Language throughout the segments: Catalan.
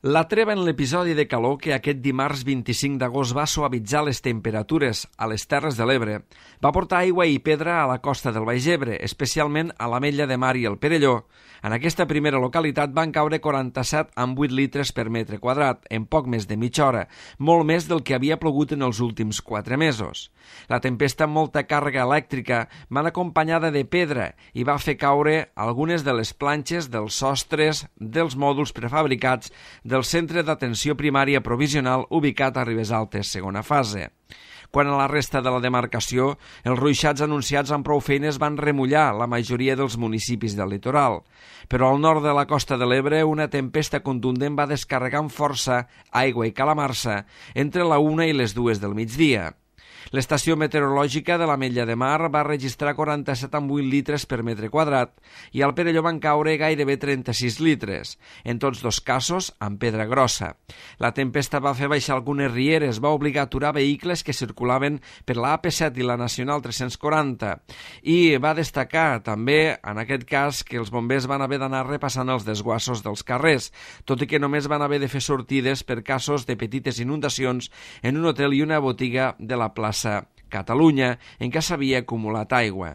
La treva en l'episodi de calor que aquest dimarts 25 d'agost va suavitzar les temperatures a les Terres de l'Ebre va portar aigua i pedra a la costa del Baix Ebre, especialment a l'Ametlla de Mar i el Perelló. En aquesta primera localitat van caure 47,8 litres per metre quadrat, en poc més de mitja hora, molt més del que havia plogut en els últims 4 mesos. La tempesta amb molta càrrega elèctrica va acompanyada de pedra i va fer caure algunes de les planxes dels sostres dels mòduls prefabricats del Centre d'Atenció Primària Provisional ubicat a Ribesaltes, segona fase. Quant a la resta de la demarcació, els ruixats anunciats amb prou feines van remullar la majoria dels municipis del litoral. Però al nord de la costa de l'Ebre, una tempesta contundent va descarregar amb força aigua i calamarsa entre la 1 i les 2 del migdia. L'estació meteorològica de l'Ametlla de Mar va registrar 47,8 litres per metre quadrat i al Perelló van caure gairebé 36 litres, en tots dos casos amb pedra grossa. La tempesta va fer baixar algunes rieres, va obligar a aturar vehicles que circulaven per la AP7 i la Nacional 340 i va destacar també, en aquest cas, que els bombers van haver d'anar repassant els desguassos dels carrers, tot i que només van haver de fer sortides per casos de petites inundacions en un hotel i una botiga de la plaça Catalunya, en què s'havia acumulat aigua.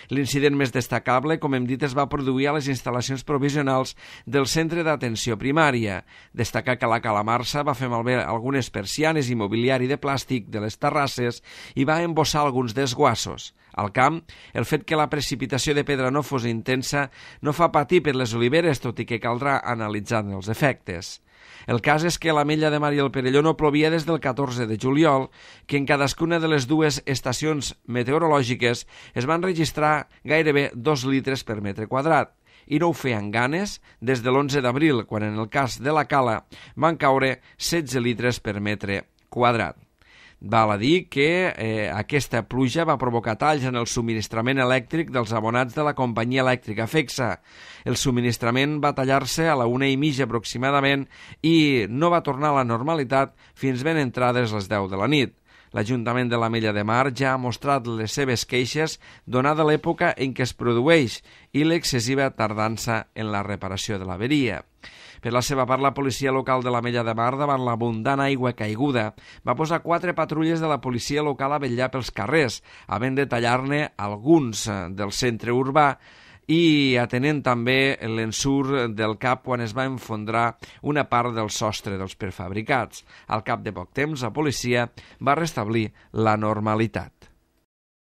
L'incident més destacable, com hem dit, es va produir a les instal·lacions provisionals del Centre d'Atenció Primària. Destacar que la calamarsa va fer malbé algunes persianes i mobiliari de plàstic de les terrasses i va embossar alguns desguassos. Al camp, el fet que la precipitació de pedra no fos intensa no fa patir per les oliveres, tot i que caldrà analitzar els efectes. El cas és que a l'Ametlla de Mar i el Perelló no plovia des del 14 de juliol, que en cadascuna de les dues estacions meteorològiques es van registrar gairebé 2 litres per metre quadrat, i no ho feien ganes des de l'11 d'abril, quan en el cas de la Cala van caure 16 litres per metre quadrat. Val a dir que aquesta pluja va provocar talls en el subministrament elèctric dels abonats de la companyia elèctrica FECSA. El subministrament va tallar-se a la 1:30 aproximadament i no va tornar a la normalitat fins ben entrades les 10 de la nit. L'Ajuntament de l'Ametlla de Mar ja ha mostrat les seves queixes donada l'època en què es produeix i l'excessiva tardança en la reparació de l'averia. Per la seva part, la policia local de l'Ametlla de Mar, davant l'abundant aigua caiguda, va posar 4 patrulles de la policia local a vetllar pels carrers, havent de tallar-ne alguns del centre urbà i atenent també l'ensurt del cap quan es va enfondrar una part del sostre dels prefabricats. Al cap de poc temps, la policia va restablir la normalitat.